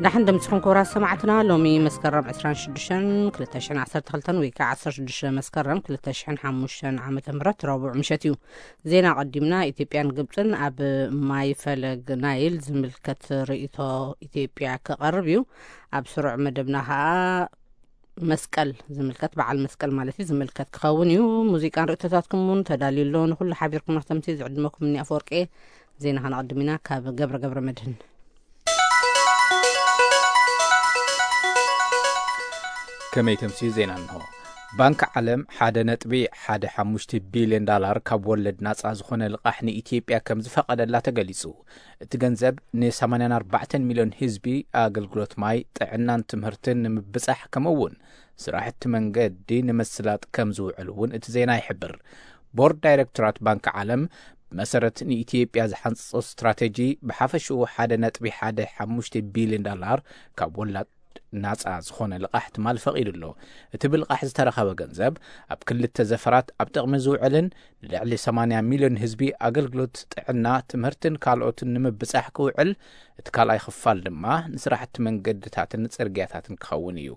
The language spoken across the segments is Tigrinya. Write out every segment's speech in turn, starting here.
ዳሕን ደምስኹም ክቡራት ሰማዕትና፣ ሎሚ መስከረም ዕስራን ሽዱሽተን ክልተ ሽሕን ዓሰርተ ክልተን ወይ ከዓ ዓሰርተ ሽዱሽተ መስከረም ክልተ ሽሕን ሓሙሽተን ዓመተ ምህረት ረቡዕ ምሸት እዩ። ዜና ቀዲምና፣ ኢትዮጵያን ግብፅን ኣብ ማይ ፈለግ ናይል ዝምልከት ርእይቶ ኢትዮጵያ ክቐርብ እዩ። ኣብ ስሩዕ መደብና ከዓ መስቀል ዝምልከት፣ በዓል መስቀል ማለት እዩ፣ ዝምልከት ክኸውን እዩ። ሙዚቃን ርእይቶታትኩም እውን ተዳልዩ ኣሎ። ንኹሉ ሓቢርኩም ንክተምሲ ዝዕድመኩም እኒ ኣፈወርቄ። ዜና ከነቐድም ኢና ካብ ገብረ ገብረ መድህን። ከመይ ተምስዩ ዜና እንሆ። ባንክ ዓለም ሓደ ነጥቢ ሓደ ሓሙሽተ ቢልዮን ዳላር ካብ ወለድ ናጻ ዝኾነ ልቓሕ ንኢትዮጵያ ከም ዝፈቐደላ ተገሊጹ። እቲ ገንዘብ ን ሰማንያን ኣርባዕተን ሚልዮን ህዝቢ ኣገልግሎት ማይ፣ ጥዕናን ትምህርትን ንምብጻሕ፣ ከምኡ እውን ስራሕቲ መንገዲ ንምስላጥ ከም ዝውዕል እውን እቲ ዜና ይሕብር። ቦርድ ዳይሬክቶራት ባንክ ዓለም ብመሰረት ንኢትዮጵያ ዝሓንጽጾ ስትራቴጂ ብሓፈሽኡ ሓደ ነጥቢ ሓደ ሓሙሽተ ቢልዮን ዳላር ካብ ወላድ ናጻ ዝኾነ ልቓሕ ትማል ፈቒዱ ኣሎ። እቲ ብልቓሕ ዝተረኸበ ገንዘብ ኣብ ክልተ ዘፈራት ኣብ ጥቕሚ ዝውዕልን ንልዕሊ ሰማንያ ሚልዮን ህዝቢ ኣገልግሎት ጥዕና፣ ትምህርትን ካልኦትን ንምብጻሕ ክውዕል፣ እቲ ካልኣይ ክፋል ድማ ንስራሕቲ መንገድታትን ጽርግያታትን ክኸውን እዩ።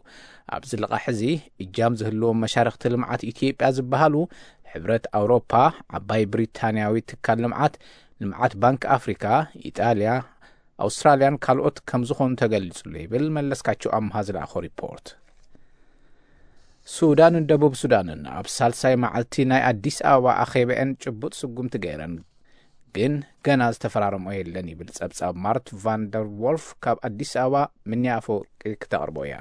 ኣብዚ ልቓሕ እዚ እጃም ዝህልዎም መሻርኽቲ ልምዓት ኢትዮጵያ ዝበሃሉ ሕብረት ኣውሮፓ፣ ዓባይ ብሪታንያዊ ትካል ልምዓት፣ ልምዓት ባንክ ኣፍሪካ፣ ኢጣልያ፣ ኣውስትራልያን ካልኦት ከም ዝኾኑ ተገሊጹ ኣሎ ይብል መለስካቸው ኣምሃ ዝለኣኾ ሪፖርት። ሱዳንን ደቡብ ሱዳንን ኣብ ሳልሳይ መዓልቲ ናይ ኣዲስ ኣበባ ኣኼበአን ጭቡጥ ስጉምቲ ገይረን፣ ግን ገና ዝተፈራረሞ የለን ይብል ጸብጻብ ማርት ቫንደር ዎልፍ ካብ ኣዲስ ኣበባ። ምንያ ኣፈወርቂ ክተቕርቦ እያ።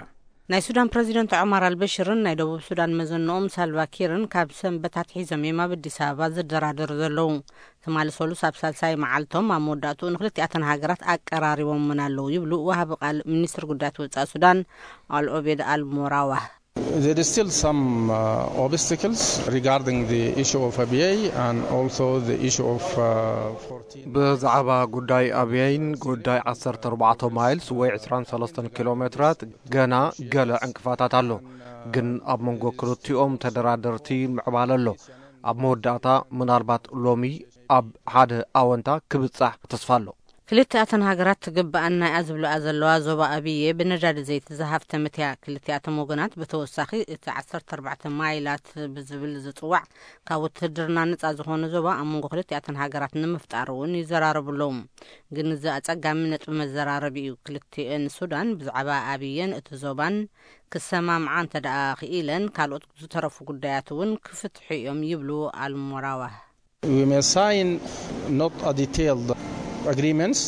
ናይ ሱዳን ፕረዚደንት ዑማር ኣልበሽርን ናይ ደቡብ ሱዳን መዘንኦም ሳልቫኪርን ካብ ሰንበት ኣትሒዞም እዮም ኣብ ኣዲስ ኣበባ ዝደራደሩ ዘለዉ። ትማሊ ሰሉስ ኣብ ሳልሳይ መዓልቶም ኣብ መወዳእትኡ ንክልቲኣተን ሃገራት ኣቀራሪቦምን ኣለዉ ይብሉ ወሃቢ ቃል ሚኒስትር ጉዳያት ወጻኢ ሱዳን ኣልኦቤድ ኣልሞራዋህ። There is still some uh, obstacles regarding the issue of A B A and also the issue of uh, fourteen. ብዛዕባ ጉዳይ ኣብየይን ጉዳይ ዓሰርተ ኣርባዕተ ማይልስ ወይ ዕስራን ሰለስተን ኪሎ ሜትራት ገና ገለ ዕንቅፋታት ኣሎ፣ ግን ኣብ መንጎ ክልቲኦም ተደራደርቲ ምዕባለ ኣሎ። ኣብ መወዳእታ ምናልባት ሎሚ ኣብ ሓደ ኣወንታ ክብጻሕ ተስፋ ኣሎ። ክልቲኣተን ሃገራት ትግብኣና እያ ዝብልኣ ዘለዋ ዞባ ኣብየ ብነዳዲ ዘይቲ ዝሃፍተመት እያ። ክልቲኣቶም ወገናት ብተወሳኺ እቲ ዓሰርተ ኣርባዕተ ማይላት ብዝብል ዝጽዋዕ ካብ ውትህድርና ነጻ ዝኾነ ዞባ ኣብ መንጎ ክልቲኣተን ሃገራት ንምፍጣር እውን ይዘራረቡ ኣለዉ። ግን እዚ ኣጸጋሚ ነጥቢ መዘራረቢ እዩ። ክልቲኤን ሱዳን ብዛዕባ ኣብየን እቲ ዞባን ክሰማምዓ እንተ ደኣ ክኢለን፣ ካልኦት ዝተረፉ ጉዳያት እውን ክፍትሑ እዮም ይብሉ ኣልሞራዋህ። We may sign not a detailed agreements,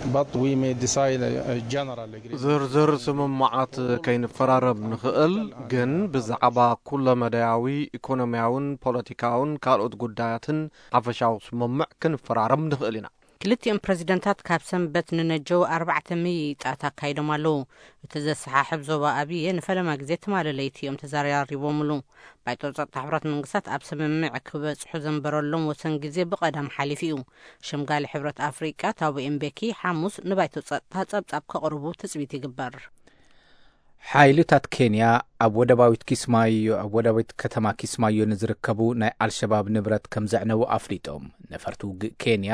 but we may decide a, a general agreement. ዝርዝር ስምምዓት ከይንፈራረም ንኽእል፣ ግን ብዛዕባ ኩለመዳያዊ ኢኮኖሚያውን ፖለቲካውን ካልኦት ጉዳያትን ሓፈሻዊ ስምምዕ ክንፈራረም ንኽእል ኢና። ክልቲኦም ፕረዚደንታት ካብ ሰንበት ንነጀው ኣርባዕተ ምይይጣት ኣካይዶም ኣለዉ። እቲ ዘሰሓሕብ ዞባ ኣብየ ንፈለማ ግዜ ትማሊ ለይቲ እዮም ተዘራሪቦምሉ። ባይቶ ጸጥታ ሕብረት መንግስታት ኣብ ስምምዕ ክበጽሑ ዘንበረሎም ወሰን ግዜ ብቐዳም ሓሊፉ እዩ። ሸምጋሊ ሕብረት ኣፍሪቃ ታቦ ኤምቤኪ ሓሙስ ንባይቶ ጸጥታ ጸብጻብ ከቕርቡ ትጽቢት ይግበር። ሓይልታት ኬንያ ኣብ ወደባዊት ኪስማዮ፣ ኣብ ወደባዊት ከተማ ኪስማዮ ንዝርከቡ ናይ ኣልሸባብ ንብረት ከም ዘዕነዉ ኣፍሊጦም። ነፈርቲ ውግእ ኬንያ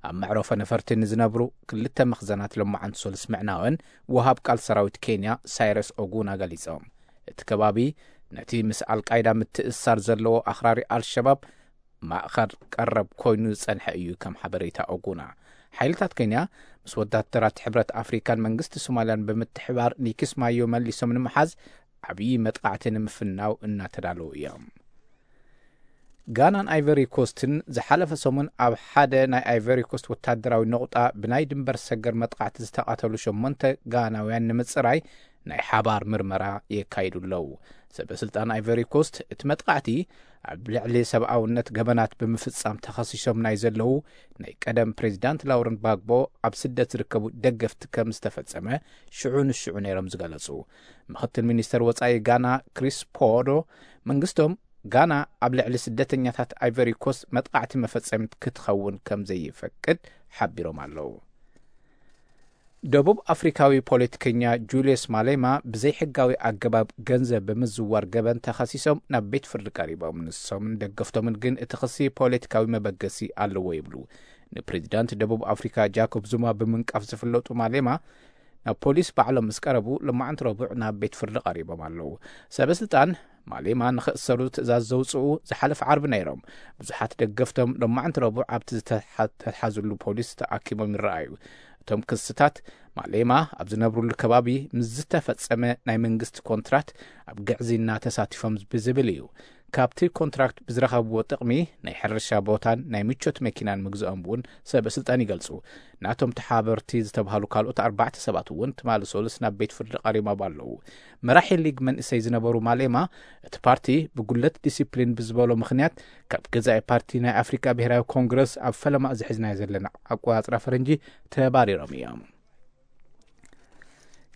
ኣብ መዕረፎ ነፈርቲ ንዝነብሩ ክልተ መኽዘናት ሎማዓንቲ ሰሉስ ምዕናወን ወሃብ ቃል ሰራዊት ኬንያ ሳይረስ ኦጉና ገሊጾም። እቲ ከባቢ ነቲ ምስ ኣልቃይዳ ምትእስሳር ዘለዎ ኣኽራሪ ኣልሸባብ ማእኸል ቀረብ ኮይኑ ዝጸንሐ እዩ፣ ከም ሓበሬታ ኦጉና። ሓይልታት ኬንያ ምስ ወታደራት ሕብረት ኣፍሪካን መንግስቲ ሶማልያን ብምትሕባር ንኪስማዮ መሊሶም ንምሓዝ ዓብዪ መጥቃዕቲ ንምፍናው እናተዳለዉ እዮም። ጋናን ኣይቨሪ ኮስትን ዝሓለፈ ሰሙን ኣብ ሓደ ናይ ኣይቨሪ ኮስት ወታደራዊ ነቑጣ ብናይ ድንበር ሰገር መጥቃዕቲ ዝተቐተሉ ሸሞንተ ጋናውያን ንምጽራይ ናይ ሓባር ምርመራ የካይዱ ኣለዉ። ሰበ ስልጣን ኣይቨሪ ኮስት እቲ መጥቃዕቲ ኣብ ልዕሊ ሰብኣውነት ገበናት ብምፍጻም ተኸሲሶም ናይ ዘለዉ ናይ ቀደም ፕሬዚዳንት ላውረንት ባግቦ ኣብ ስደት ዝርከቡ ደገፍቲ ከም ዝተፈጸመ ሽዑ ንሽዑ ነይሮም ዝገለጹ። ምኽትል ሚኒስተር ወጻኢ ጋና ክሪስ ፖዶ መንግስቶም ጋና ኣብ ልዕሊ ስደተኛታት ኣይቨሪ ኮስት መጥቃዕቲ መፈጸሚት ክትኸውን ከም ዘይፈቅድ ሓቢሮም ኣለዉ። ደቡብ ኣፍሪካዊ ፖለቲከኛ ጁልየስ ማሌማ ብዘይሕጋዊ ኣገባብ ገንዘብ ብምዝዋር ገበን ተኸሲሶም ናብ ቤት ፍርዲ ቀሪቦም። ንሶምን ደገፍቶምን ግን እቲ ክሲ ፖለቲካዊ መበገሲ ኣለዎ ይብሉ። ንፕሬዚዳንት ደቡብ ኣፍሪካ ጃኮብ ዙማ ብምንቃፍ ዝፍለጡ ማሌማ ናብ ፖሊስ ባዕሎም ምስ ቀረቡ፣ ሎማዕንቲ ረቡዕ ናብ ቤት ፍርዲ ቀሪቦም ኣለዉ። ሰበ ስልጣን ማሌማ ንኽእሰሩ ትእዛዝ ዘውፅኡ ዝሓለፈ ዓርቢ ነይሮም። ብዙሓት ደገፍቶም ሎማዕንቲ ረቡዕ ኣብቲ ዝተሓ-፣ ዝተትሓዝሉ ፖሊስ ተኣኪቦም ይረኣዩ። እቶም ክስታት ማሌማ ኣብ ዝነብሩሉ ከባቢ ምስ ዝተፈጸመ ናይ መንግስቲ ኮንትራት ኣብ ግዕዝይና ተሳቲፎም ብዝብል እዩ። ካብቲ ኮንትራክት ብዝረኸብዎ ጥቕሚ ናይ ሕርሻ ቦታን ናይ ምቾት መኪናን ምግዝኦም እውን ሰበ ስልጣን ይገልጹ። ናቶም ተሓበርቲ ዝተባህሉ ካልኦት ኣርባዕተ ሰባት እውን ትማሊ ሰሉስ ናብ ቤት ፍርዲ ቀሪቦም ኣለዉ። መራሒ ሊግ መንእሰይ ዝነበሩ ማሌማ፣ እቲ ፓርቲ ብጉለት ዲሲፕሊን ብዝበሎ ምኽንያት ካብ ገዛኢ ፓርቲ ናይ ኣፍሪካ ብሔራዊ ኮንግረስ ኣብ ፈለማ እዚ ሒዝናዮ ዘለና ኣቆጻጽራ ፈረንጂ ተባሪሮም እዮም።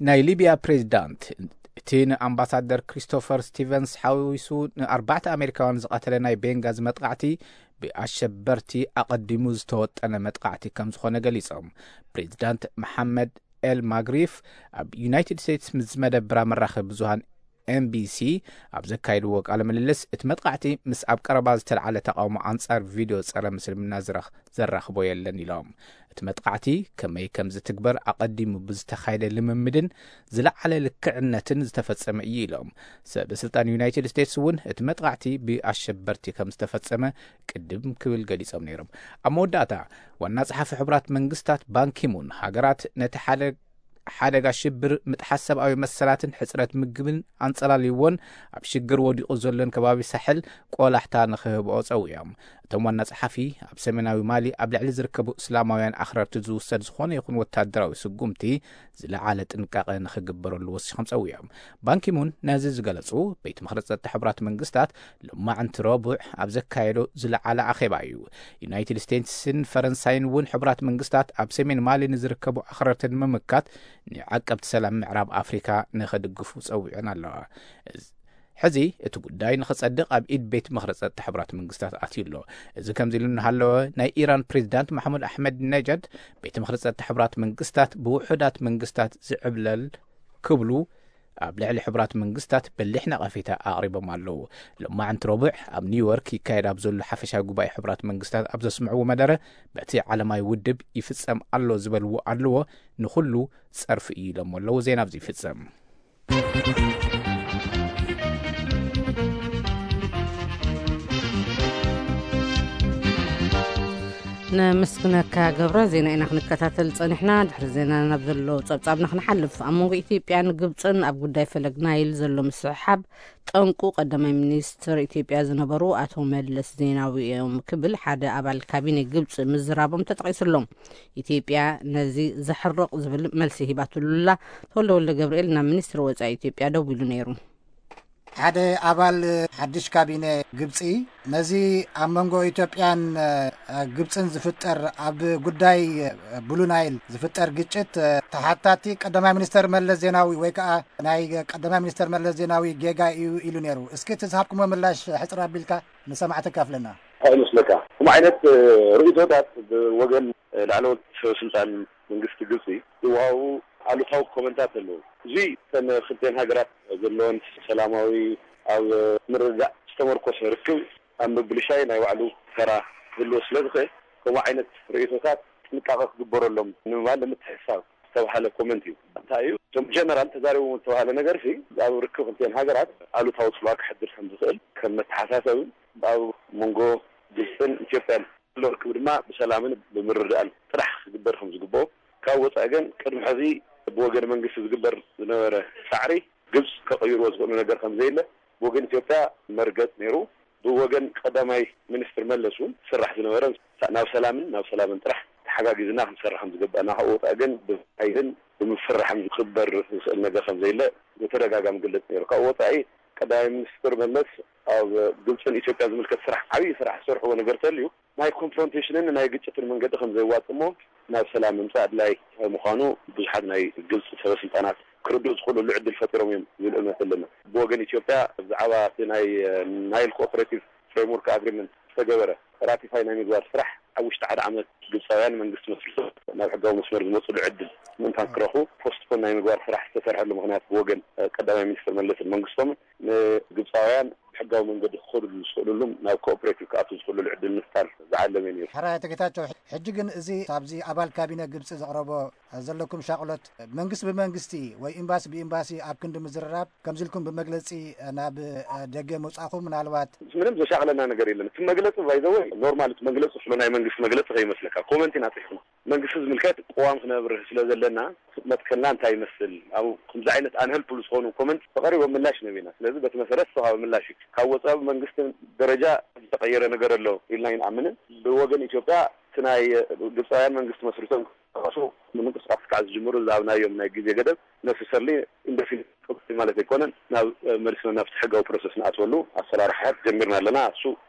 ናይ ሊብያ ፕሬዚዳንት፣ እቲ ንኣምባሳደር ክሪስቶፈር ስቲቨንስ ሓዊሱ ንኣርባዕተ ኣሜሪካውያን ዝቐተለ ናይ ቤንጋዚ መጥቃዕቲ ብኣሸበርቲ ኣቐዲሙ ዝተወጠነ መጥቃዕቲ ከም ዝኾነ ገሊጾም። ፕሬዚዳንት መሓመድ ኤል ማግሪፍ ኣብ ዩናይትድ ስቴትስ ምስ ዝመደብራ መራኸቢ ብዙሃን ኤምቢሲ ኣብ ዘካየድዎ ቃለ ምልልስ፣ እቲ መጥቃዕቲ ምስ ኣብ ቀረባ ዝተልዓለ ተቃውሞ ኣንጻር ቪድዮ ጸረ ምስልምና ዝረኽ-፣ ዘራኽቦ የለን ኢሎም። እቲ መጥቃዕቲ ከመይ ከም ዝትግበር ኣቐዲሙ ብዝተኻየደ ልምምድን ዝለዓለ ልክዕነትን ዝተፈጸመ እዩ ኢሎም። ሰበ ስልጣን ዩናይትድ ስቴትስ እውን እቲ መጥቃዕቲ ብኣሸበርቲ ከም ዝተፈጸመ ቅድም ክብል ገሊጾም ነይሮም። ኣብ መወዳእታ፣ ዋና ጸሓፊ ሕቡራት መንግስታት ባንኪሙን፣ ሃገራት ነቲ ሓደ ሓደጋ ሽብር፣ ምጥሓስ ሰብኣዊ መሰላትን ሕጽረት ምግብን ኣንጸላልይዎን ኣብ ሽግር ወዲቑ ዘሎን ከባቢ ሳሕል ቆላሕታ ንኽህብኦ ጸዊዖም። እቶም ዋና ጸሓፊ፣ ኣብ ሰሜናዊ ማሊ ኣብ ልዕሊ ዝርከቡ እስላማውያን ኣኽረርቲ ዝውሰድ ዝኾነ ይኹን ወታደራዊ ስጉምቲ ዝለዓለ ጥንቃቐ ንኽግበረሉ ወሲኾም ጸዊዖም። ባንኪሙን ነዚ ዝገለጹ፣ ቤት ምኽሪ ጸጥታ ሕቡራት መንግስታት ሎማዕንቲ ረቡዕ ኣብ ዘካየዶ ዝለዓለ ኣኼባ እዩ። ዩናይትድ ስቴትስን ፈረንሳይን እውን ሕቡራት መንግስታት ኣብ ሰሜን ማሊ ንዝርከቡ ኣኽረርቲ ንምምካት ንዓቀብቲ ሰላም ምዕራብ ኣፍሪካ ንኽድግፉ ጸዊዐን ኣለዋ። እዚ፣ ሕዚ እቲ ጉዳይ ንኽጸድቕ ኣብ ኢድ ቤት ምኽሪ ጸጥታ ሕቡራት መንግስታት ኣትዩ ኣሎ። እዚ ከምዚ ኢሉ እናሃለወ፣ ናይ ኢራን ፕሬዚዳንት ማሕሙድ ኣሕመድ ነጃድ ቤት ምኽሪ ጸጥታ ሕቡራት መንግስታት ብውሑዳት መንግስታት ዝዕብለል ክብሉ ኣብ ልዕሊ ሕቡራት መንግስታት በሊሕ ነቐፌታ ኣቕሪቦም ኣለዉ። ሎማዕንቲ ረቡዕ ኣብ ኒውዮርክ ይካየድ ኣብ ዘሎ ሓፈሻዊ ጉባኤ ሕቡራት መንግስታት ኣብ ዘስምዕዎ መደረ፣ በቲ ዓለማዊ ውድብ ይፍጸም ኣሎ ዝበልዎ ኣለዎ ንኹሉ ጸርፊ እዩ ኢሎሞ ኣለዉ። ዜና ኣብዚ ይፍጸም። ነመስግነካ ገብረ። ዜና ኢና ክንከታተል ጸኒሕና። ድሕሪ ዜና ናብ ዘሎ ጸብጻብና ክንሓልፍ፣ ኣብ መንጎ ኢትዮጵያን ግብጽን ኣብ ጉዳይ ፈለግ ናይል ዘሎ ምስሕሓብ ጠንቁ ቀዳማይ ሚኒስትር ኢትዮጵያ ዝነበሩ ኣቶ መለስ ዜናዊ እዮም ክብል ሓደ ኣባል ካቢኔ ግብጽ ምዝራቦም ተጠቒሱ ኣሎ። ኢትዮጵያ ነዚ ዘሕርቕ ዝብል መልሲ ሂባትሉ ኣላ። ተወልደ ወልደ ገብርኤል ናብ ሚኒስትሪ ወጻኢ ኢትዮጵያ ደዊሉ ነይሩ። ሓደ ኣባል ሓድሽ ካቢነ ግብጺ፣ ነዚ ኣብ መንጎ ኢትዮጵያን ግብጽን ዝፍጠር፣ ኣብ ጉዳይ ብሉ ናይል ዝፍጠር ግጭት ተሓታቲ ቀዳማይ ሚኒስተር መለስ ዜናዊ ወይ ከዓ ናይ ቀዳማይ ሚኒስተር መለስ ዜናዊ ጌጋ እዩ ኢሉ ነይሩ። እስኪ እቲ ዝሃብኩሞ ምላሽ ሕጽር ኣቢልካ ንሰማዕቲ ካፍለና። እንታይ ይመስለካ? ከምኡ ዓይነት ርእይቶታት ብወገን ላዕለዎት ሰበ ስልጣን መንግስቲ ግብጺ ዝወሃቡ ኣሉታዊ ኮመንታት ኣለዉ። እዚ እተን ክልተን ሃገራት ዘለወን ሰላማዊ፣ ኣብ ምርድዳእ ዝተመርኮሰ ርክብ ኣብ ምብልሻይ ናይ ባዕሉ ተራ ክህልዎ ስለ ዝኽእል፣ ከምኡ ዓይነት ርእይቶታት ጥንቃቐ ክግበረሎም ንምባል ንምትሕስሳብ ዝተባህለ ኮመንት እዩ። እንታይ እዩ? እቶም ጀነራል ተዛሪቦም ዝተባህለ ነገር ሲ ኣብ ርክብ ክልተን ሃገራት ኣሉታዊ ጽልዋ ክሕድር ከም ዝኽእል ከም መተሓሳሰብን ኣብ መንጎ ግብጽን ኢትዮጵያን ዘሎ ርክብ ድማ ብሰላምን ብምርድዳእን ጥራሕ ክግበር ከም ዝግብኦ፣ ካብ ወጻኢ ግን ቅድሚ ሕዚ ብወገን መንግስቲ ዝግበር ዝነበረ ጻዕሪ ግብጽ ከቐይርዎ ዝኽእሉ ነገር ከም ዘየለ ብወገን ኢትዮጵያ መርገጽ ነይሩ። ብወገን ቀዳማይ ሚኒስትር መለስ እውን ዝስራሕ ዝነበረ ናብ ሰላምን ናብ ሰላምን ጥራሕ ተሓጋጊዝና ክንሰርሕ ከም ዝግባእና፣ ካብ ወጻኢ ግን ብሓይልን ብምፍርራሕን ዝኽበር ዝኽእል ነገር ከም ዘየለ ብተደጋጋሚ ግልጽ ነይሩ። ካብ ወጻኢ ቀዳማይ ሚኒስትር መለስ ኣብ ግብጽን ኢትዮጵያ ዝምልከት ስራሕ፣ ዓብዪ ስራሕ ዝሰርሕዎ ነገር ተልዩ ናይ ኮንፍሮንቴሽንን ናይ ግጭትን መንገዲ ከም ዘየዋጽእ እሞ ናብ ሰላም ምምጻእ ኣድላይ ምዃኑ ብዙሓት ናይ ግብጺ ሰበ ስልጣናት ክርድኡ ዝኽእሉሉ ዕድል ፈጢሮም እዮም ዝብል እምነት ኣለና። ብወገን ኢትዮጵያ ብዛዕባ እቲ ናይ ናይል ኮኦፐሬቲቭ ፍሬምወርክ ኣግሪመንት ዝተገበረ ራቲፋይ ናይ ምግባር ስራሕ ኣብ ውሽጢ ሓደ ዓመት ግብጻውያን መንግስቲ መስሪቱ ናብ ሕጋዊ መስመር ዝመጽሉ ዕድል ምእንታን ክረኽቡ ፖስትፖን ናይ ምግባር ስራሕ ዝተሰርሐሉ ምኽንያት ብወገን ቀዳማይ ሚኒስትር መለስን መንግስቶምን ንግብፃውያን ብሕጋዊ መንገዲ ክኸዱሉ ዝኽእሉሉም ናብ ኮኦፕሬቲቭ ክኣቱ ዝኽእሉሉ ዕድል ምፍጣር ዝዓለመ እዩ ነይሩ። ሕራይ ኣቶ ጌታቸው፣ ሕጂ ግን እዚ ኣብዚ ኣባል ካቢነ ግብፂ ዘቕረቦ ዘለኩም ሻቕሎት መንግስቲ ብመንግስቲ ወይ ኤምባሲ ብኤምባሲ ኣብ ክንዲ ምዝርራብ ከምዚ ኢልኩም ብመግለፂ ናብ ደገ ምውፃኹም ምናልባት ምንም ዘሻቕለና ነገር የለን። እቲ መግለፂ ባይዘወይ ኖርማል፣ እቲ መግለፂ ስለ ናይ መንግስቲ መግለፂ ከይመስለካ ኮመንት ኢና ፅሒፍና። መንግስቲ ዝምልከት ቅዋም ክነብርህ ስለ ዘለና መትከልና እንታይ ይመስል፣ ኣብ ከምዚ ዓይነት ኣንሀልፕሉ ዝኾኑ ኮመንት ተቐሪቦም ምላሽ ነቢና። ስለዚ በቲ መሰረት ዝተዋሃበ ምላሽ እዩ። ካብ ወፃኢ መንግስቲ ደረጃ ዝተቐየረ ነገር ኣሎ ኢልና ኣይንኣምንን። ብወገን ኢትዮጵያ እቲ ናይ ግብፃውያን መንግስቲ መስሪቶም ክንቀሳቐሱ ንምንቅስቃስ ክዓ ዝጅምሩ ዝሃብናዮም ናይ ግዜ ገደብ ነስሰርሊ ኢንደፊኒት ማለት ኣይኮነን። ናብ መሊስና ናብቲ ሕጋዊ ፕሮሰስ ንኣትወሉ ኣሰራርሓ ጀሚርና ኣለና። እሱ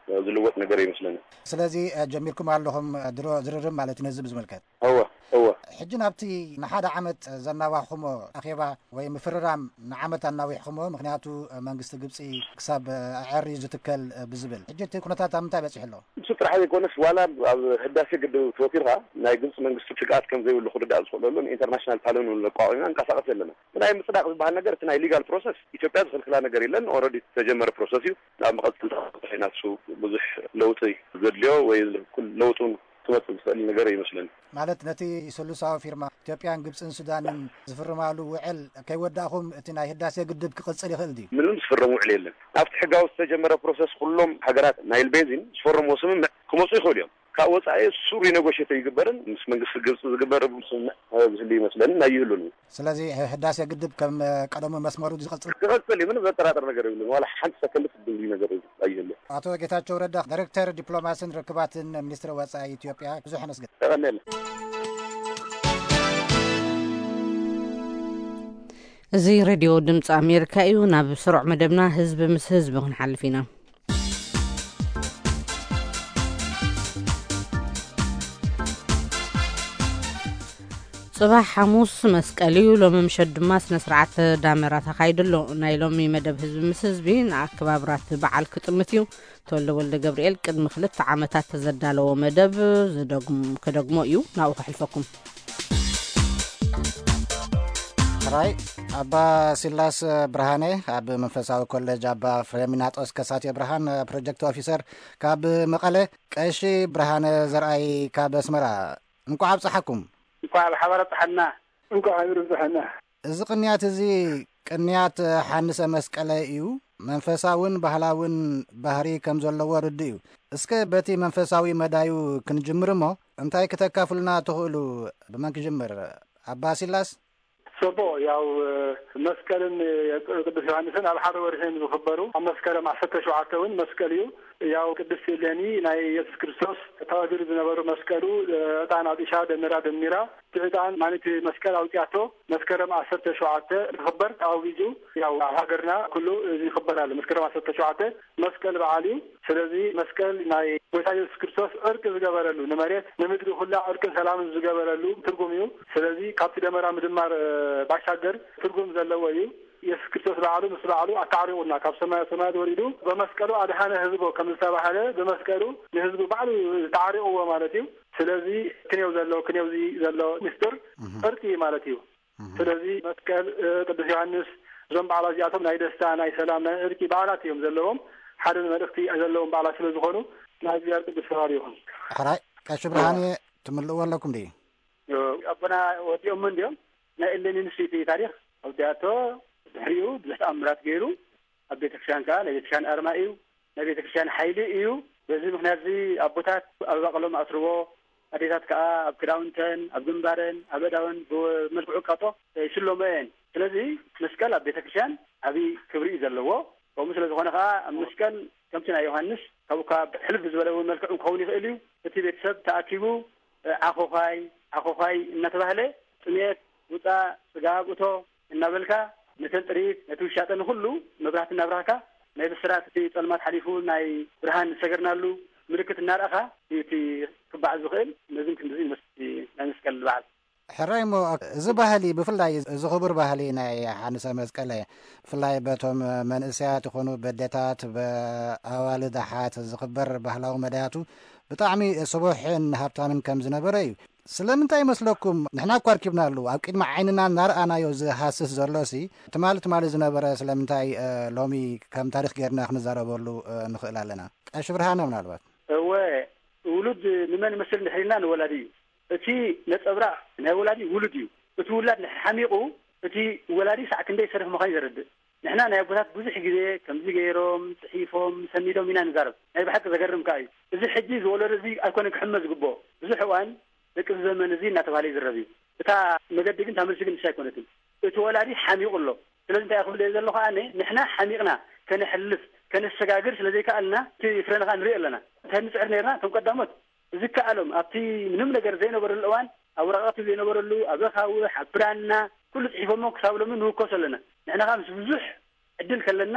ዝልወጥ ነገር ይመስለኒ። ስለዚ ጀሚርኩም ኣለኹም ድሮ ዝርርብ ማለት እዩ ነዚ ብዝምልከት? እወ፣ እወ። ሕጂ ናብቲ ንሓደ ዓመት ዘናዋሕኹሞ ኣኼባ ወይ ምፍርራም ንዓመት ኣናዊሕኹሞ፣ ምኽንያቱ መንግስቲ ግብፂ ክሳብ ኣዕሪ ዝትከል ብዝብል። ሕጂ እቲ ኩነታት ኣብ ምንታይ በፂሑ ኣሎ? እሱ ጥራሕ ዘይኮነስ ዋላ ኣብ ህዳሴ ግድብ ተወፊርካ ናይ ግብፂ መንግስቲ ስግኣት ከም ዘይብሉ ክርዳእ ዝኽእለሉ ንኢንተርናሽናል ፓነል እውን ኣቋቒምና ንንቀሳቐስ ዘለና። እቲ ናይ ምፅዳቕ ዝበሃል ነገር እቲ ናይ ሊጋል ፕሮሰስ ኢትዮጵያ ዝኽልክላ ነገር የለን። ኦልሬዲ ዝተጀመረ ፕሮሰስ እዩ። ናብ መቐፅልታ ኢና እሱ ብዙሕ ለውጢ ዘድልዮ ወይ ለውጢ እውን ክመፅእ ዝኽእል ነገር ይመስለኒ። ማለት ነቲ ስሉሳዊ ፊርማ ኢትዮጵያን ግብፅን ሱዳንን ዝፍርማሉ ውዕል ከይወዳእኹም እቲ ናይ ህዳሴ ግድብ ክቕፅል ይኽእል ድዩ? ምንም ዝፍረም ውዕል የለን። ኣብቲ ሕጋዊ ዝተጀመረ ፕሮሰስ ኩሎም ሃገራት ናይል ቤዚን ዝፈረምዎ ስምምዕ ክመፁ ይኽእሉ እዮም። ካብ ወፃኢ እሱ ሪኔጎሽት ኣይግበርን። ምስ መንግስቲ ግብፂ ዝግበር ስምምዕ ዝህሉ ይመስለኒ፣ ናይ ይህሉን እዩ። ስለዚ ህዳሴ ግድብ ከም ቀደሙ መስመሩ ዝቐፅል ክቐፅል እዩ። ምንም ዘጠራጥር ነገር የብሉን። ዋላ ሓንቲ ሰከንድ ትድልዩ ነገር ኣይህሉ። ኣቶ ጌታቸው ረዳ፣ ዳይሬክተር ዲፕሎማሲን ርክባትን ሚኒስትሪ ወፃኢ ኢትዮጵያ፣ ብዙሕ ነመስግን። ተቐኔለ። እዚ ሬድዮ ድምፂ ኣሜሪካ እዩ። ናብ ስሩዕ መደብና ህዝቢ ምስ ህዝቢ ክንሓልፍ ኢና። ጽባሕ ሓሙስ መስቀል እዩ። ሎሚ ምሸት ድማ ስነ ስርዓት ዳመራ ተኻይዱ ኣሎ። ናይ ሎሚ መደብ ህዝቢ ምስ ህዝቢ ንኣከባብራት በዓል ክጥምት እዩ። ተወልደ ወልደ ገብርኤል ቅድሚ ክልተ ዓመታት ዘዳለዎ መደብ ዝደግም-፣ ከደግሞ እዩ። ናብኡ ከሕልፈኩም። ሕራይ ኣባ ሲላስ ብርሃነ ኣብ መንፈሳዊ ኮሌጅ ኣባ ፍሬሚናጦስ ከሳቴ ብርሃን ፕሮጀክት ኦፊሰር ካብ መቐለ፣ ቀሺ ብርሃነ ዘርኣይ ካብ ኣስመራ፣ እንቋዕ ኣብፀሓኩም። እንኳዕ ብሓባር ኣብፀሓና። እንኳዕ ሓቢሩ ኣብፀሓና። እዚ ቅንያት እዚ ቅንያት ሓንሰ መስቀለ እዩ። መንፈሳውን ባህላውን ባህሪ ከም ዘለዎ ርዱእ እዩ። እስከ በቲ መንፈሳዊ መዳዩ ክንጅምር እሞ፣ እንታይ ክተካፍሉና ትኽእሉ? ብመን ክጅምር? ኣባ ሲላስ? ጽቡቕ፣ ያው መስቀልን ቅዱስ ዮሃንስን ኣብ ሓደ ወርሒ እዮም ዝኽበሩ። ኣብ መስከረም ዓሰርተ ሸውዓተ እውን መስቀል እዩ። ያው ቅድስት እሌኒ ናይ ኢየሱስ ክርስቶስ ተቐቢሩ ዝነበሩ መስቀሉ ዕጣን ኣጢሻ ደመራ ደሚራ፣ እቲ ዕጣን ማለት መስቀል ኣውጽያቶ መስከረም ዓሰርተ ሸውዓተ ክኽበር ተኣዊጁ። ያው ኣብ ሃገርና ኩሉ እዚ ይኽበር ኣሎ። መስከረም ዓሰርተ ሸውዓተ መስቀል በዓል እዩ። ስለዚ መስቀል ናይ ጎይታ ኢየሱስ ክርስቶስ ዕርቂ ዝገበረሉ፣ ንመሬት ንምድሪ ኩላ ዕርቅን ሰላምን ዝገበረሉ ትርጉም እዩ። ስለዚ ካብቲ ደመራ ምድማር፣ እ፣ ባሻገር ትርጉም ዘለዎ እዩ። ኢየሱስ ክርስቶስ በዓሉ ምስ በዓሉ ኣታዕሪቑና፣ ካብ ሰማያ ሰማያት ወሪዱ በመስቀሉ ኣድሃነ ህዝቦ ከም ዝተባህለ፣ በመስቀሉ ንህዝቡ ባዕሉ ተዓሪቑዎ ማለት እዩ። ስለዚ ክንየው ዘሎ፣ ክንየውዚ ዘሎ ምስጢር እህ። ዕርቂ ማለት እዩ። እህ። ስለዚ መስቀል፣ እ፣ ቅዱስ ዮሃንስ፣ እዞም በዓላት እዚኣቶም ናይ ደስታ፣ ናይ ሰላም፣ ናይ ዕርቂ በዓላት እዮም ዘለዎም። ሓደ መልእኽቲ ዘለዎም በዓላት ስለ ዝኾኑ፣ ናይ እግዚኣብሔር ቅዱስ ፍቓድ ይኹን። ሕራይ፣ ቀሺ ብርሃን፣ ትምልእዎ ኣለኩም ድዩ? ዮ፣ ኣቦና ወዲኦም እንዲዮም። ናይ እሌኒ ንሱ እቲ ታሪኽ ኣውዲኣቶ፣ ድሕሪኡ ብዙሕ ተኣምራት ገይሩ፣ ኣብ ቤተክርስትያን ከኣ ናይ ቤተክርስትያን ኣርማ እዩ፣ ናይ ቤተክርስትያን ሓይሊ እዩ። በዚ ምኽንያት እዚ ኣቦታት ኣብ ኣባቕሎም ኣስርዎ፣ ኣዴታት ከኣ ኣብ ክዳውንተን፣ ኣብ ግንባረን፣ ኣብ ኣእዳወን ብመልክዑ ቃጦ ይስለሞ እየን። ስለዚ መስቀል ኣብ ቤተክርስትያን ዓቢ ክብሪ እዩ ዘለዎ። ከምኡ ስለ ዝኾነ ከኣ ኣብ መስቀል ከምቲ ናይ ዮሃንስ ካብ እኳ ሕልፍ ብዝበለ እውን መልክዑ ክኸውን ይኽእል እዩ። እቲ ቤተሰብ ተኣኪቡ ዓኾዃይ፣ ዓኾዃይ እናተባህለ ጥሜት ውጻእ፣ ጽጋብ እቶ እናበልካ ነተን ጥሪት፣ ነቲ ውሻጠ ንኹሉ መብራህቲ እናብራህካ ናይ ብስራት እቲ ጸልማት ሓሊፉ ናይ ብርሃን ዝሰገርናሉ ምልክት እናርኣኻ እዩ እቲ ክበዓል ዝኽእል። ነዚ ክንድዚ ይመስል ናይ መስቀል በዓል። ሕራይ እሞ፣ እዚ ባህሊ ብፍላይ እዚ ክቡር ባህሊ ናይ ሓንሰ መስቀለ ብፍላይ በቶም መንእሰያት ይኹኑ በዴታት፣ በኣዋልድ ኣሓት ዝኽበር ባህላዊ መዳያቱ ብጣዕሚ ስቡሕን ሃብታምን ከም ዝነበረ እዩ። ስለምንታይ ይመስለኩም? ንሕና እኳ ኣርኪብናሉ፣ ኣብ ቅድሚ ዓይንና እናረኣናዮ ዝሃስስ ዘሎሲ፣ ትማሊ ትማሊ ዝነበረ ስለምንታይ ሎሚ ከም ታሪኽ ጌርና ክንዛረበሉ ንኽእል ኣለና? ቀሺ ብርሃነ ምናልባት። እወ፣ ውሉድ ንመን ይመስል እንድሕር ኢልና ንወላዲ እዩ። እቲ ነጸብራቕ ናይ ወላዲ ውሉድ እዩ። እቲ ውላድ እንድሕር ሓሚቑ፣ እቲ ወላዲ ሳዕ ክንደይ ሰነፍ ምዃኑ ዘረድእ። ንሕና ናይ ኣቦታት ብዙሕ ግዜ ከምዚ ገይሮም፣ ጽሒፎም፣ ሰኒዶም ኢና ንዛረብ። ናይ ብሓቂ ዘገርም ከኣ እዩ። እዚ ሕጂ ዝወለዶ እዚ ኣይኮነን ክሕመ ዝግብኦ። ብዙሕ እዋን ደቂ እዚ ዘመን እዚ እናተባህለ ይዝረብ እዩ። እታ መገዲ ግን እታ መልሲ ግን ንሳ ኣይኮነትን። እቲ ወላዲ ሓሚቑ ኣሎ። ስለዚ እንታይ ክብል እየ ዘለኹ ኣነ፣ ንሕና ሓሚቕና ከነሕልፍ፣ ከነሰጋግር ስለ ዘይከኣልና፣ እቲ ፍረና ከኣ ንሪኦ ኣለና። እንታይ ንጽዕር ነርና? እቶም ቀዳሞት ዝከኣሎም ኣብቲ ምንም ነገር ዘይነበረሉ እዋን፣ ኣብ ወረቐት ዘይነበረሉ፣ ኣብ ኣኻውሕ፣ ኣብ ብራና፣ ኩሉ ጽሒፎሞ ክሳብ ሎሚ ንውከሱ ኣለና። ንሕና ከኣ ምስ ብዙሕ ዕድል ከለና፣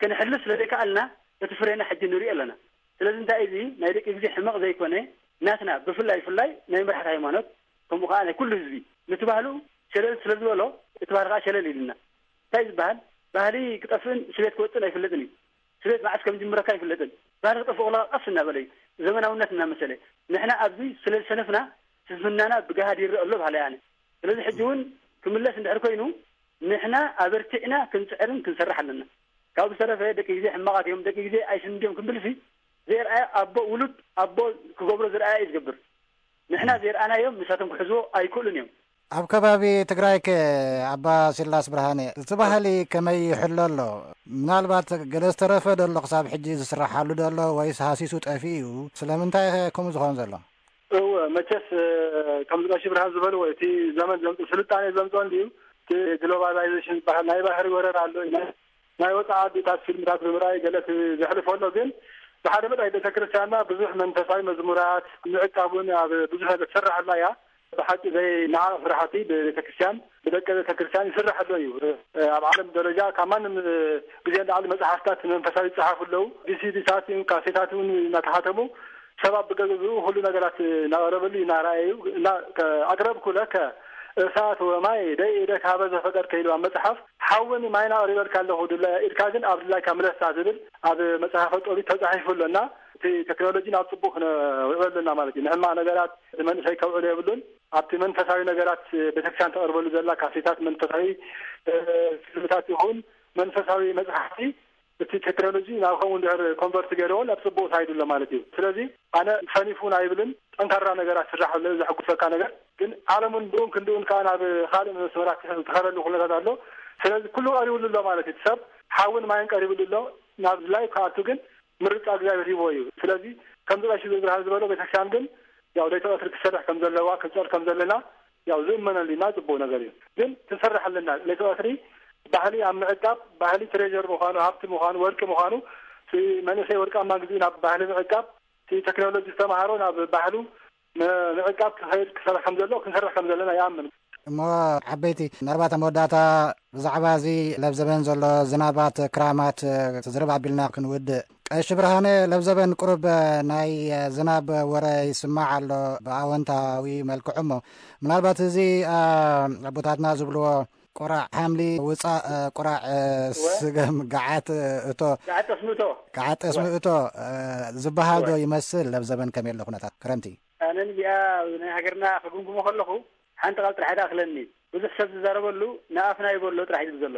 ከነሕልፍ ስለ ዘይከኣልና፣ እቲ ፍሬና ሕጂ ንሪኦ ኣለና። ስለዚ እንታይ እዚ ናይ ደቂ ግዜ ሕመቕ ዘይኮነ፣ ናትና ብፍላይ ፍላይ ናይ መራሕቲ ሃይማኖት፣ ከምኡ ከኣ ናይ ኩሉ ህዝቢ፣ ነቲ ባህሉ ሸለል ስለ ዝበሎ፣ እቲ ባህሊ ከኣ ሸለል ኢሉና። እንታይ ዝበሃል? ባህሊ ክጠፍእን ስቤት ክወጽእን ኣይፍለጥን እዩ። ስቤት መዓስ ከም ዝጅምረካ ኣይፍለጥን። ባህሊ ክጠፍእ ከሎ ቀስ እናበለ እዩ። ዘመናውነት እናመሰለ። ንሕና ኣብዚ ስለ ዝሰነፍና፣ ስንፍናና ብገሃድ ይረአ ኣሎ በሃላይ ኣነ። ስለዚ ሕጂ እውን ክምለስ እንድሕር ኮይኑ፣ ንሕና ኣበርቲዕና ክንጽዕርን ክንሰርሕ ኣለና። ካብኡ ዝተረፈ ደቂ ግዜ ሕማቓት እዮም፣ ደቂ ግዜ ኣይስንድዮም ክንብልሲ፣ ዘይርኣዮ ኣቦ፣ ውሉድ ኣቦ ክገብሮ ዝረኣየ እዩ ዝገብር። ንሕና ዘይረኣናዮም ንሳቶም ክሕዝዎ ኣይክእሉን እዮም። ኣብ ከባቢ ትግራይከ ኣባ ሲላስ ብርሃነ፣ እቲ ባህሊ ከመይ ይሕሎ ኣሎ? ምናልባት ገለ ዝተረፈ ዶ ኣሎ ክሳብ ሕጂ ዝስራሓሉ ዶ ኣሎ ወይስ ሃሲሱ ጠፊኡ እዩ? ስለምንታይ ከምኡ ዝኸውን ዘሎ? እወ፣ መቸስ፣ እ፣ ከምዚ ቀሺ ብርሃን ዝበልዎ፣ እቲ ዘመን ዘምጽኦ፣ ስልጣኔ ዘምጽኦ እንድዩ። እቲ ግሎባላይዜሽን ዝበሃል ናይ ባህሪ ወረራ ኣሎ ኢና። ናይ ወጻኢ ዓድታት ፊልምታት ብምርኣይ ገለ እቲ ዘሕልፎ ኣሎ፣ ግን ብሓደ መዳይ ቤተክርስትያንና ብዙሕ መንፈሳዊ መዝሙራት ምዕቃብ እውን ኣብ ብዙሕ ነገር ትሰርሓላ እያ። ብሓቂ ዘይነዓቕ ስራሕቲ ብቤተክርስትያን፣ ብደቂ ቤተክርስትያን ይስራሕ ኣሎ እዩ። እ፣ ኣብ ዓለም ደረጃ ካብ ማንም ግዜ ንላዕሊ መጽሓፍታት መንፈሳዊ ይጸሓፉ ኣለዉ። ቪሲዲታት፣ ካሴታት እውን እናተሓተሙ ሰባት ብገዝኡ ኩሉ ነገራት እናቐረበሉ እዩ እናረኣየ እዩ። እና ከ-፣ ኣቅረብኩ ለከ እሳት ወማይ ደይ ኢደክ ሀበ ዘፈቀድከ ኢሉ ኣብ መጽሓፍ፣ ሓውን ማይን ኣቕሪበልካ ኣለኹ፣ ድላ-፣ ኢድካ ግን ኣብ ድላይካ ምለሳ ዝብል ኣብ መጽሓፈ ጦቢት ተጻሒፉ ኣሎ። እና እቲ ቴክኖሎጂ ናብ ጽቡቕ ክነውዕሎ ኣለና ማለት እዩ። ንሕማቕ ነገራት ንመንእሰይ ከውዕሎ የብሉን። ኣብቲ መንፈሳዊ ነገራት ቤተክርስትያን ተቕርበሉ ዘላ ካሴታት፣ መንፈሳዊ፣ እ፣ ፊልምታት ይኹን መንፈሳዊ መጽሓፍቲ፣ እቲ ቴክኖሎጂ ናብ ከምኡ እንድሕር ኮንቨርት ገይርዎ ናብ ጽቡቕ ሳይድ ኣሎ ማለት እዩ። ስለዚ ኣነ ሰኒፉን ኣይብልን፣ ጠንካራ ነገራት ስራሕ ኣሎ፣ ዘሐጉሰካ ነገር። ግን ዓለም እውን ብኡን ክንድኡን ከኣ ናብ ካልእ መስመራት ዝተኸለሉ ኩነታት ኣሎ። ስለዚ ኩሉ ቀሪብሉ ኣሎ ማለት እዩ። እቲ ሰብ ሓውን ማይን ቀሪብሉ ኣሎ፣ ናብ ድላዩ ክኣቱ ግን ምርጫ እግዚኣብሔር ሂብዎ እዩ። ስለዚ ከምዚ ቀሺ ብርሃን ዝበሎ ቤተክርስትያን ግን ያው ለይቲ ቀትሪ ክትሰርሕ ከም ዘለዋ፣ ክንጸር ከም ዘለና ያው ዝእመነሉ ኢና፣ ጽቡቕ ነገር እዩ። ግን ክንሰርሕ ኣለና። ለይቲ ቀትሪ ባህሊ ኣብ ምዕቃብ፣ ባህሊ ትሬዠር ምዃኑ፣ ሃብቲ ምዃኑ፣ ወርቂ ምዃኑ፣ እቲ መንእሰይ ወርቃማ ግዜኡ ናብ ባህሊ ምዕቃብ፣ እቲ ቴክኖሎጂ ዝተምሃሮ ናብ ባህሉ ም-፣ ምዕቃብ ክኸይድ ክሰርሕ ከም ዘሎ፣ ክንሰርሕ ከም ዘለና ይኣምን። እሞ ዓበይቲ፣ ምናልባት ኣብ መወዳእታ ብዛዕባ እዚ ለብዘበን ዘሎ ዝናባት ክራማት ዝርብ ኣቢልና ክንውድእ። ቀሺ ብርሃነ፣ ለብዘበን ቁሩብ ናይ ዝናብ ወረ ይስማዕ ኣሎ ብኣወንታዊ መልክዑ። እሞ ምናልባት እዚ፣ አ፣ ኣቦታትና ዝብልዎ ቁራዕ ሓምሊ ውፃእ፣ ቁራዕ፣ እ፣ እወ። ስገም ገዓት፣ እ፣ እቶ፣ ገዓት ጠስሚ እቶ። ገዓት ጠስሚ እወ። እቶ፣ እ፣ ዝበሃል ዶ እወ። ይመስል? ለብዘበን ከመይ ኣሎ ኩነታት ክረምቲ? ኣነ ንዚኣ ናይ ሃገርና ክግምግሞ ከለኹ ሓንቲ ቃል ጥራሕ እያ ትኣኽለኒ። ብዙሕ ሰብ ዝዛረበሉ ንኣፍና ይበሎ ጥራሕ እዩ ዘሎ።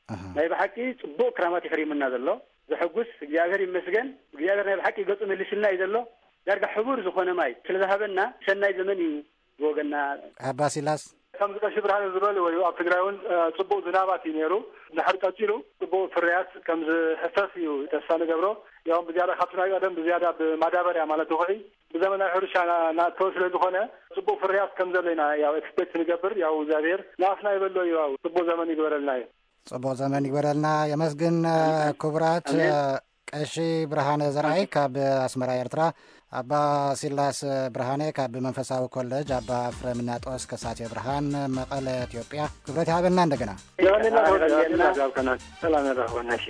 ኣሃ። ናይ ብሓቂ ጽቡቕ ክራማት ይኽሪምና ዘሎ። ዘሐጉስ፣ እግዚኣብሔር ይመስገን። እግዚኣብሔር ናይ ብሓቂ ገጹ መሊስልና እዩ ዘሎ። ዳርጋ ሕቡር ዝኾነ ማይ ስለ ዝሃበና ሰናይ ዘመን እዩ ብወገንና። ኣባ ሲላስ? ከምዚ ቀሺ ብርሃነ ዝበልዎ እዩ፣ ኣብ ትግራይ እውን፣ እ፣ ጽቡቕ ዝናባት እዩ ነይሩ። ድሕር ቀጺሉ ጽቡቕ ፍርያት ከም ዝሕፈስ እዩ ተስፋ ንገብሮ። ያው ብዝያዳ ካብቲ ናይ ቀደም ብዝያዳ ብማዳበርያ ማለት ውቕዒ ብዘመናዊ ሕርሻ ና-፣ ናእተወ ስለ ዝኾነ ጽቡቕ ፍርያት ከም ዘሎ ኢና ያው ኤክስፔክት ንገብር። ያው እግዚኣብሔር ንኣፍና ይበሎ እዩ። ያው ጽቡቕ ዘመን ይግበረልና እዩ። ጽቡቕ ዘመን ይግበረልና። የመስግን። ኣሜን። ክቡራት፣ ኣሜን። ቀሺ ብርሃነ ዘርኣይ ካብ ኣስመራ ኤርትራ፣ ኣባ ሲላስ ብርሃነ ካብ መንፈሳዊ ኮለጅ ኣባ ፍረምናጦስ ከሳቴ ብርሃን መቐለ ኢትዮጵያ። ክብረት ይሃበልና እንደገና። የቐንየልና። ሰላም የቐንየልና። ሰላም ያራኽበና። እሺ።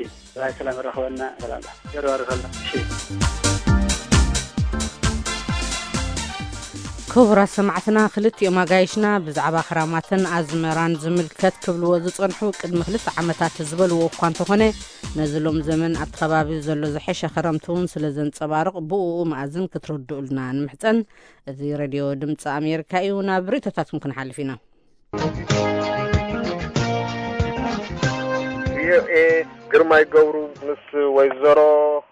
ሰላም ያራኽበና። ሰላም። የራርኸልና። እሺ። ክቡራት ሰማዕትና፣ ክልቲኦም ኣጋይሽና ብዛዕባ ክራማትን ኣዝመራን ዝምልከት ክብልዎ ዝጸንሑ ቅድሚ ክልተ ዓመታት ዝበልዎ እኳ እንተኾነ፣ ነዚ ሎም ዘመን ኣብቲ ከባቢ ዘሎ ዝሐሸ ክረምቲ እውን ስለ ዘንጸባርቕ፣ ብእኡ መኣዝን ክትርድኡልና ንምሕጸን። እዚ ሬድዮ ድምጺ ኣሜሪካ እዩ። ናብ ርእይቶታትኩም ክንሓልፍ ኢና። ቪኦኤ፣ ግርማይ ገብሩ ምስ ወይዘሮ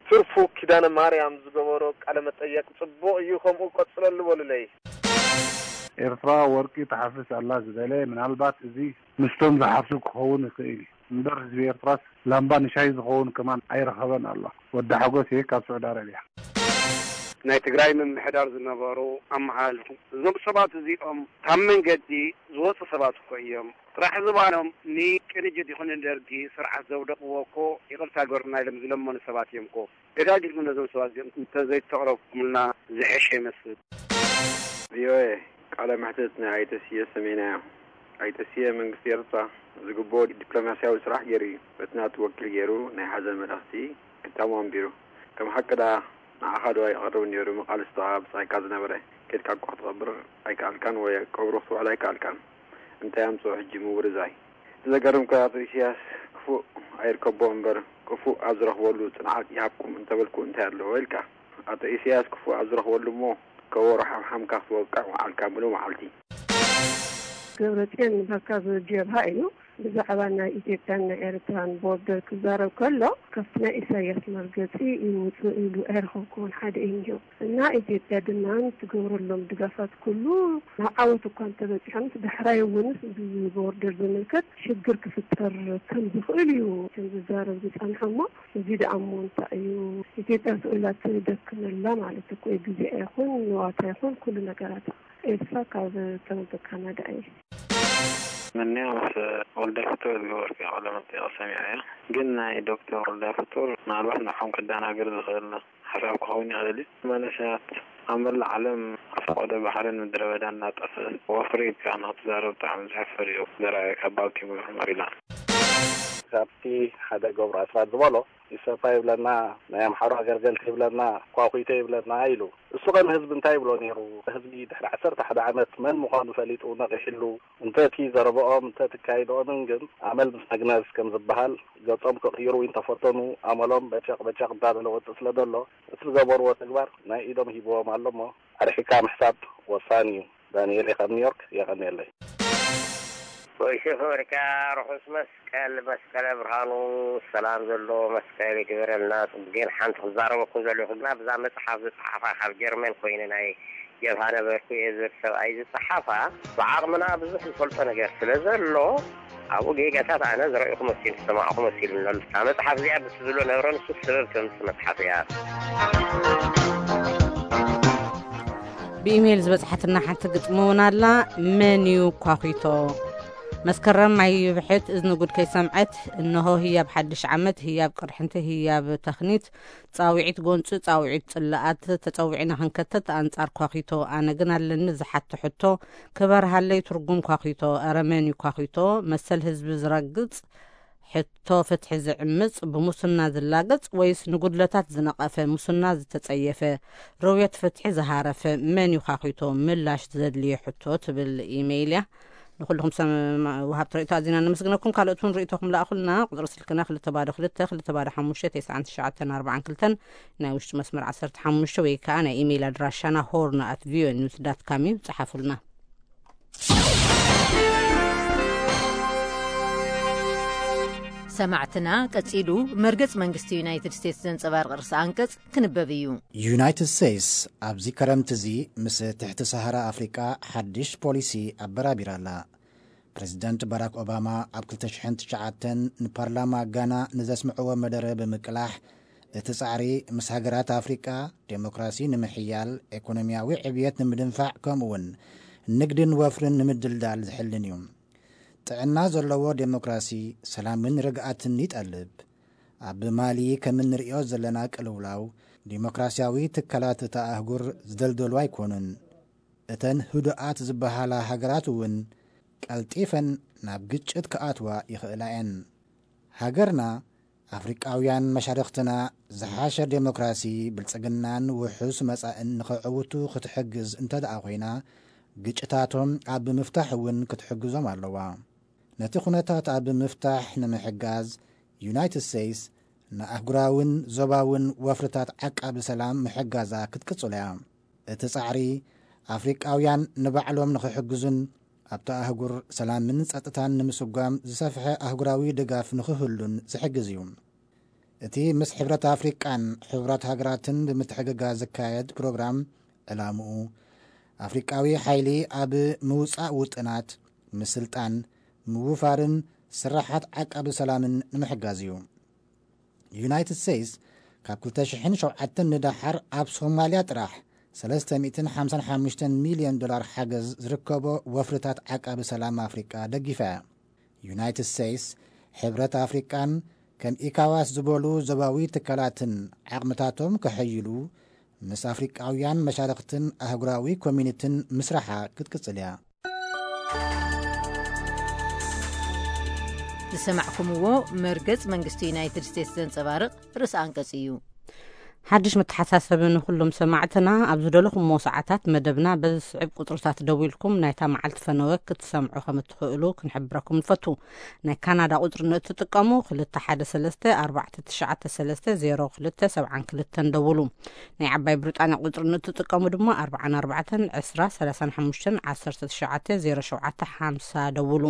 ትርፉ ኪዳነ ማርያም ዝገበሮ ቃለ መጠየቅ ጽቡቕ እዩ፣ ከምኡ ቀጽለሉ በሉለይ። ኤርትራ ወርቂ ትሓፍስ ኣላ ዝበለ፣ ምናልባት እዚ ምስቶም ዝሓፍሱ ክኸውን ይኽእል እዩ። እምበር ህዝቢ ኤርትራስ ላምባ ንሻሂ ዝኸውን ከማን ኣይረኸበን ኣሎ። ወዲ ሓጎስ እየ ካብ ስዑዲ ኣረብያ። ናይ ትግራይ ምምሕዳር ዝነበሩ ኣመሓላልፉ፣ እዞም ሰባት እዚኦም ካብ መንገዲ ዝወፁ ሰባት እኮ እዮም። ጥራሕ ዝባኖም ንቅንጅት ይኹን ንደርጊ ስርዓት ዘውደቕዎ እኮ ይቕርታ ገሩና ኢሎም ዝለመኑ ሰባት እዮም እኮ። ደጋጊምኩም ነዞም ሰባት እዚኦም እንተዘይተቕረብኩምልና ዝሐሸ ይመስል። ቪኦኤ፣ ቃለ መሕትት ናይ ኣይተ ስየ ሰሜና እዮም። ኣይተ ስየ፣ መንግስቲ ኤርትራ ዝግብኦ ዲፕሎማስያዊ ስራሕ ገይሩ እዩ። በቲ ናቱ ወኪል ገይሩ ናይ ሓዘን መልእኽቲ ክታሙ ኣንቢሩ። ከም ሓቂ ደኣ ንዓኻ ዶ ኣይቐርብን ነይሩ መቓልስቶኻ ብጻይካ ዝነበረ? ኬድካ እኮ ክትቐብር ኣይከኣልካን ወይ ቀብሩ ክትውዕል ኣይከኣልካን። እንታይ ኣምጽኦ ሕጂ ምውርዛይ? እቲ ዘገርም እኮ ኣቶ ኢሳያስ ክፉእ ኣይርከቦ እምበር ክፉእ ኣብ ዝረኽበሉ ጽንዓት ይሃብኩም እንተበልኩ እንታይ ኣለዎ ኢልካ? ኣቶ ኢሳያስ ክፉእ ኣብ ዝረኽበሉ እሞ ከበሮ ሓምሓምካ ክትወቅዕ ወዓልካ ምሉእ መዓልቲ። ገብረጽዮን በካብ ጀብሃ እዩ። ብዛዕባ ናይ ኢትዮጵያን ናይ ኤርትራን ቦርደር ክዛረብ ከሎ ካብቲ ናይ ኢሳያስ መርገጺ ይውጽእ ኢሉ ኣይረኸብኩዎን ሓደ እዩ እኒኦ። እና ኢትዮጵያ ድማ ትገብረሎም ድጋፋት ኩሉ ናብ ዓወት እኳ እንተበጺሖምስ ዳሕራይ እውንስ ብቦርደር ዝምልከት ሽግር ክፍጠር ከም ዝኽእል እዩ ከም ዝዛረብ ዝጸንሐ እሞ እዚ ደኣ እሞ እንታይ እዩ? ኢትዮጵያ ስኡላ ትደክመላ ማለት እኮ እዩ። ግዜኣ ይኹን ንዋታ ይኹን ኩሉ ነገራታ። ኤልሳ ካብ ቶሮንቶ ካናዳ እየ። ምንያ ምስ ወልዳይ ፍጡር ዝገበርኩ ቃለ መጠይቕ ሰሚዐ እየ። ግን ናይ ዶክተር ወልዳይ ፍጡር ምናልባት ንዖም ከደናግር ዝኽእል ሓሳብ ክኸውን ይኽእል እዩ። መንእሰያት ኣብ መላእ ዓለም ኣብ ፈቐዶ ባሕርን ምድረ በዳን እናጠፍእ ወፍሪ ኢልካ ንኽትዛረብ ብጣዕሚ ዘሕፍር እዩ። ዘርኣየካ ባልቲሞር ሜሪላንድ። ካብቲ ሓደ ገብሩ ኣስራት ዝበሎ ኢሰፓ ይብለና፣ ናይ ኣምሓሩ ኣገልገልቲ ይብለና፣ ኳኹይቶ ይብለና ኢሉ። እሱ ኸ ንህዝቢ እንታይ ይብሎ ነይሩ? ህዝቢ ድሕሪ ዓሰርተ ሓደ ዓመት መን ምዃኑ ፈሊጡ ነቒሕሉ። እንተ እቲ ዘረብኦም እንተ እቲ ኣካይድኦምን ግን ኣመል ምስ መግነዝ ከም ዝበሃል ገጾም ክቕይሩ እንተፈተኑ ኣመሎም በጨቕ በጨቕ እንዳበለ ወጽእ ስለ ዘሎ እቲ ዝገበርዎ ተግባር ናይ ኢዶም ሂብዎም ኣሎ እሞ ኣርሒቕካ ምሕሳብ ወሳኒ እዩ። ዳንኤል እየ ካብ ኒውዮርክ፣ የቐንየለይ። ቮይስ ኦፍ ኣሜሪካ፣ ርሑስ መስቀል፣ መስቀለ ብርሃኑ፣ ሰላም ዘለዎ መስቀል ይግበረልና። ጽቡቕ ጌር ሓንቲ ክዛረበኩም ዘለኹ ግና ብዛ መጽሓፍ ዝጸሓፋ ካብ ጀርመን ኮይነ ናይ ጀብሃ ነበርኩ እየ ዝብል ሰብኣይ ዝጸሓፋ፣ ብዓቕምና ብዙሕ ዝፈልጦ ነገር ስለ ዘሎ ኣብኡ ጌጋታት ኣነ ዝረእኹ መሲሉ ዝሰማዕኹ መሲሉ ኣሎ። እታ መጽሓፍ እዚኣ ብቲ ዝብሎ ነበረ ንሱ ሰበብ ተምጽእ መጽሓፍ እያ። ብኢሜይል ዝበጽሓትና ሓንቲ ግጥሚ እውን ኣላ። መን እዩ ኳኺቶ? መስከረም ኣይብሕት እዝኒ ጉድ ከይሰምዐት፣ እንሆ ህያብ ሓድሽ ዓመት፣ ህያብ ቅርሕንቲ፣ ህያብ ተኽኒት፣ ጻውዒት ጎንጺ፣ ጻውዒት ጽላኣት ተጸዊዕና ክንከተት ኣንጻር ኳኺቶ። ኣነ ግን ኣለኒ ዝሓቶ ሕቶ፣ ክበርሃለይ ትርጉም ኳኺቶ። ኣረ መን እዩ ኳኺቶ? መሰል ህዝቢ ዝረግጽ፣ ሕቶ ፍትሒ ዝዕምጽ፣ ብሙስና ዝላገጽ ወይስ ንጉድለታት ዝነቐፈ፣ ሙስና ዝተጸየፈ፣ ርውየት ፍትሒ ዝሃረፈ መን እዩ ኳኺቶ? ምላሽ ዘድልዮ ሕቶ ትብል ኢሜይል እያ። ንኹልኹም ሰም-፣ ወሃብቲ ርእይቶ ኣዚና ነመስግነኩም። ካልኦት እውን ርእይቶኹም ለኣኹልና። ቁጽሪ ስልክና ክልተ ባዶ ክልተ፣ ክልተ ባዶ ሓሙሽተ፣ ተስዓን ትሽዓተን ኣርባዓን ክልተን፣ ናይ ውሽጢ መስመር ዓሰርተ ሓሙሽተ ወይ ከኣ ናይ ኢሜይል ኣድራሻና ሆርን ኣት ቪኦኤ ኒውስ ዳት ካም እዩ። ጸሓፉልና። ሰማዕትና፣ ቀጺሉ መርገጽ መንግስቲ ዩናይትድ ስቴትስ ዘንጸባርቕ ርእሰ ኣንቀጽ ክንበብ እዩ። ዩናይትድ ስቴትስ ኣብዚ ከረምቲ እዚ ምስ ትሕቲ ሰሃራ ኣፍሪቃ ሓድሽ ፖሊሲ ኣበራቢራ ኣላ። ፕሬዚደንት ባራክ ኦባማ ኣብ ክልተ ሽሕን ትሽዓተን ንፓርላማ ጋና ንዘስምዕዎ መደረ ብምቅላሕ፣ እቲ ጻዕሪ ምስ ሃገራት ኣፍሪቃ ዴሞክራሲ ንምሕያል፣ ኤኮኖሚያዊ ዕብየት ንምድንፋዕ፣ ከምኡውን ንግድን ወፍርን ንምድልዳል ዝሕልን እዩ። ጥዕና ዘለዎ ዴሞክራሲ ሰላምን ርግኣትን ይጠልብ። ኣብ ማሊ ከም እንርእዮ ዘለና ቅልውላው ዴሞክራሲያዊ ትካላት እታ ኣህጉር ዝደልደሉ ኣይኮኑን። እተን ህዱኣት ዝበሃላ ሃገራት እውን ቀልጢፈን ናብ ግጭት ክኣትዋ ይኽእላ እየን። ሃገርና ኣፍሪቃውያን መሻርኽትና ዝሓሸ ዴሞክራሲ፣ ብልጽግናን ውሑስ መጻእን ንኸዕውቱ ክትሕግዝ እንተ ደኣ ኮይና፣ ግጭታቶም ኣብ ምፍታሕ እውን ክትሕግዞም ኣለዋ። ነቲ ኩነታት ኣብ ምፍታሕ ንምሕጋዝ፣ ዩናይትድ ስቴትስ ንኣህጉራውን ዞባውን ወፍርታት ዓቃቢ ሰላም ምሕጋዛ ክትቅጽሎ እያ። እቲ ጻዕሪ፣ ኣፍሪቃውያን ንባዕሎም ንኽሕግዙን ኣብታ ኣህጉር ሰላምን ጸጥታን ንምስጓም ዝሰፍሐ ኣህጉራዊ ድጋፍ ንኽህሉን ዝሕግዝ እዩ። እቲ ምስ ሕብረት ኣፍሪቃን ሕቡራት ሃገራትን ብምትሕግጋዝ ዝካየድ ፕሮግራም፣ ዕላምኡ ኣፍሪቃዊ ሓይሊ ኣብ ምውጻእ ውጥናት፣ ምስልጣን፣ ምውፋርን ስራሓት ዓቃቢ ሰላምን ንምሕጋዝ እዩ። ዩናይትድ ስቴትስ ካብ ክልተ ሽሕን ሸውዓተን ንደሓር ኣብ ሶማልያ ጥራሕ ሰለስተ ሚእትን ሓምሳን ሓሙሽተን ሚልዮን ዶላር ሓገዝ ዝርከቦ ወፍርታት ዓቃቢ ሰላም ኣፍሪቃ ደጊፋ እያ። ዩናይትድ ስቴትስ፣ ሕብረት ኣፍሪቃን ከም ኢካዋስ ዝበሉ ዞባዊ ትካላትን ዓቕምታቶም ከሐይሉ ምስ ኣፍሪቃውያን መሻርኽትን ኣህጉራዊ ኮሚኒትን ምስራሓ ክትቅጽል እያ። ዝሰማዕኩምዎ መርገጽ መንግስቲ ዩናይትድ ስቴትስ ዘንጸባርቕ ርእሰ ኣንቀጽ እዩ። ሓድሽ መተሓሳሰቢ ንኹሎም ሰማዕትና፣ ኣብ ዝደለኹምዎ ሰዓታት መደብና በዚ ዝስዕብ ቁጽርታት ደዊልኩም ናይታ መዓልቲ ፈነወ ክትሰምዑ ከም እትኽእሉ ክንሕብረኩም ንፈቱ። ናይ ካናዳ ቁጽሪ ንእትጥቀሙ፣ ክልተ ሓደ ሰለስተ ኣርባዕተ ትሽዓተ ሰለስተ ዜሮ ክልተ ሰብዓን ክልተን ደውሉ። ናይ ዓባይ ብሪጣንያ ቁጽሪ ንእትጥቀሙ ድማ፣ ኣርብዓን ኣርባዕተን ዕስራ ሰላሳን ሓሙሽተን ዓሰርተ ትሽዓተ ዜሮ ሸውዓተ ሓምሳ ደውሉ።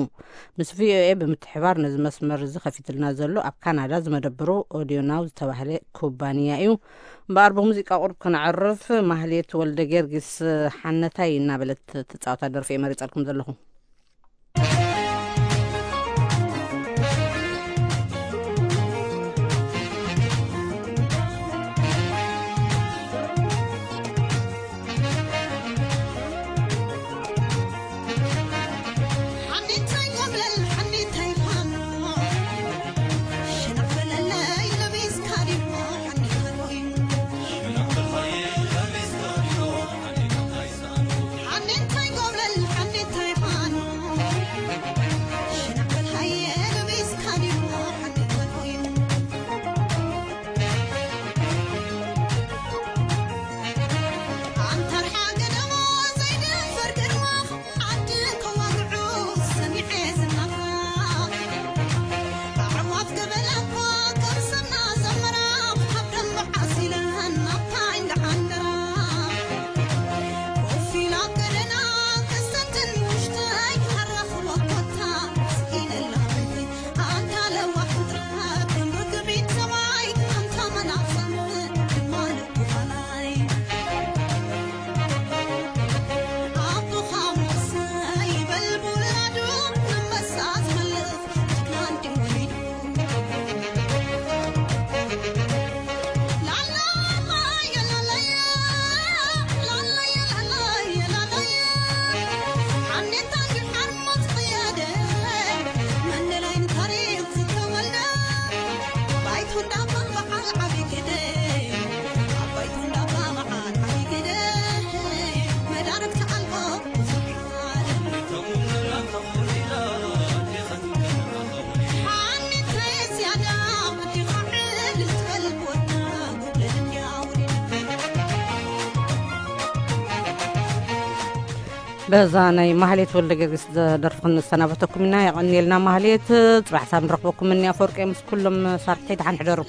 ምስ ቪኦኤ ብምትሕባር ነዚ መስመር እዚ ከፊትልና ዘሎ ኣብ ካናዳ ዝመደብሩ ኦዲዮ ናው ዝተባህለ ኩባንያ እዩ። እምበኣር ብሙዚቃ ቁሩብ ክነዕርፍ፣ ማህሌት ወልደ ጊዮርጊስ ሓነታይ እናበለት ትጻወታ ደርፊ እየ መሪጸልኩም ዘለኹ። በዛ ናይ ማህሌት ወልደ ጊዮርጊስ ደርፊ ክንሰናበተኩም ኢና። የቐንየልና ማህሌት። ጽባሕ ሳብ ንረኽበኩም። እኒ ኣፈወርቂ ምስ ኩሎም ሳርሕተይ ደሓን ሕደሩ።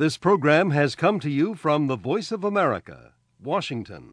This program has come to you from the Voice of America, Washington.